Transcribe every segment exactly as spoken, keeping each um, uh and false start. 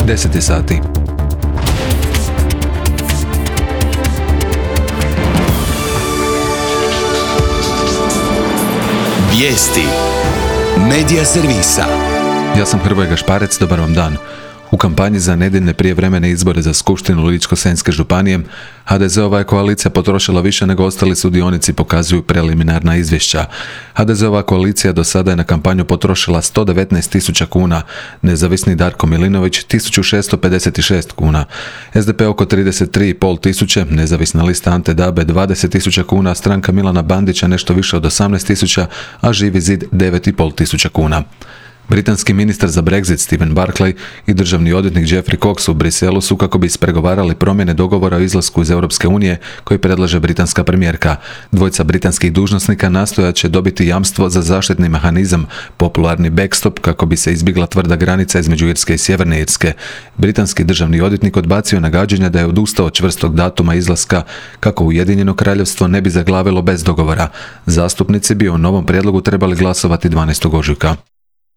deset sati. Vijesti Medija servisa. Ja sam Hrvoje Gašparec, dobar vam dan. U kampanji za nedjeljne prijevremene izbore za Skupštinu Ličko-senjske županije ha de ze-ova je koalicija potrošila više nego ostali sudionici, pokazuju preliminarna izvješća. ha de ze-ova koalicija do sada je na kampanju potrošila sto devetnaest tisuća kuna, nezavisni Darko Milinović tisuću šesto pedeset šest kuna, es de pe oko trideset tri i pol tisuće, nezavisna lista Ante Dabe dvadeset tisuća kuna, stranka Milana Bandića nešto više od osamnaest tisuća, a Živi zid devet i pol tisuća kuna. Britanski ministar za Brexit Stephen Barclay i državni odvjetnik Geoffrey Cox u Briselu su kako bi ispregovarali promjene dogovora o izlasku iz Europske unije koji predlaže britanska premijerka. Dvojica britanskih dužnosnika nastojat će dobiti jamstvo za zaštitni mehanizam, popularni backstop, kako bi se izbjegla tvrda granica između Irske i Sjeverne Irske. Britanski državni odvjetnik odbacio nagađanja da je odustao od čvrstog datuma izlaska kako Ujedinjeno kraljevstvo ne bi zaglavilo bez dogovora. Zastupnici bi o novom prijedlogu trebali glasovati dvanaestog ožujka.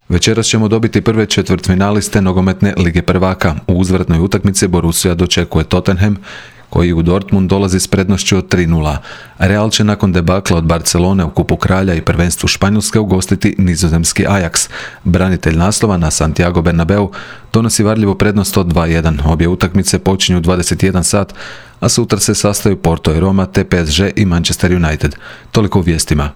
Večeras ćemo dobiti prve četvrtfinaliste nogometne Lige prvaka. U uzvratnoj utakmici Borussia dočekuje Tottenham, koji u Dortmund dolazi s prednošću od tri nula. Real će nakon debakla od Barcelone u Kupu kralja i prvenstvu Španjolske ugostiti nizozemski Ajax. Branitelj naslova na Santiago Bernabeu donosi varljivu prednost od dva jedan. Obje utakmice počinju u dvadeset jedan sat, a sutra se sastaju Porto i Roma te pe es ge i Manchester United. Toliko u vijestima.